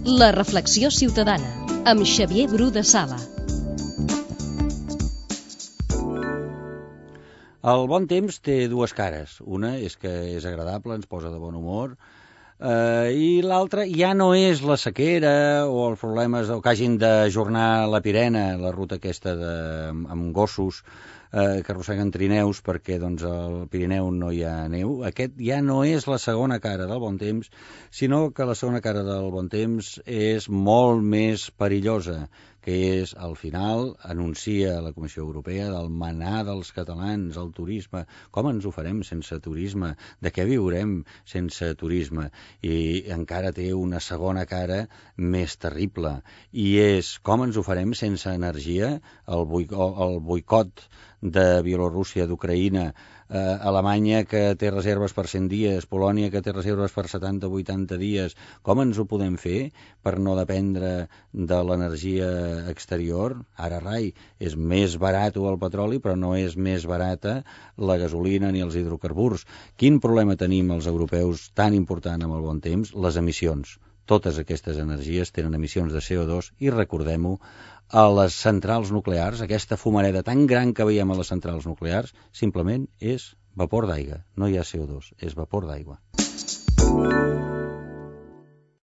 La reflexió ciutadana, amb Xavier Bru de Sala. El bon temps té dues cares. Una és que és agradable, ens posa de bon humor, i l'altra ja no és la sequera o els problemes que hagin d'ajornar la Pirena, la ruta aquesta amb gossos que arrosseguen trineus perquè doncs, al Pirineu no hi ha neu. Aquest ja no és la segona cara del bon temps, sinó que la segona cara del bon temps és molt més perillosa, que és, al final, anuncia la Comissió Europea del manar dels catalans, el turisme. Com ens ho farem sense turisme? De què viurem sense turisme? I encara té una segona cara més terrible, i és com ens ho farem sense energia? El boicot de Bielorússia, d'Ucraïna, Alemanya, que té reserves per 100 dies, Polònia, que té reserves per 70-80 dies. Com ens ho podem fer per no dependre de l'energia exterior? Ara rai, és més barat el petroli, però no és més barata la gasolina ni els hidrocarburs. Quin problema tenim els europeus tan important amb el bon temps? Les emissions. Totes aquestes energies tenen emissions de CO2 i recordem-ho, a les centrals nuclears, aquesta fumareda tan gran que veiem a les centrals nuclears, simplement és vapor d'aigua. No hi ha CO2, és vapor d'aigua.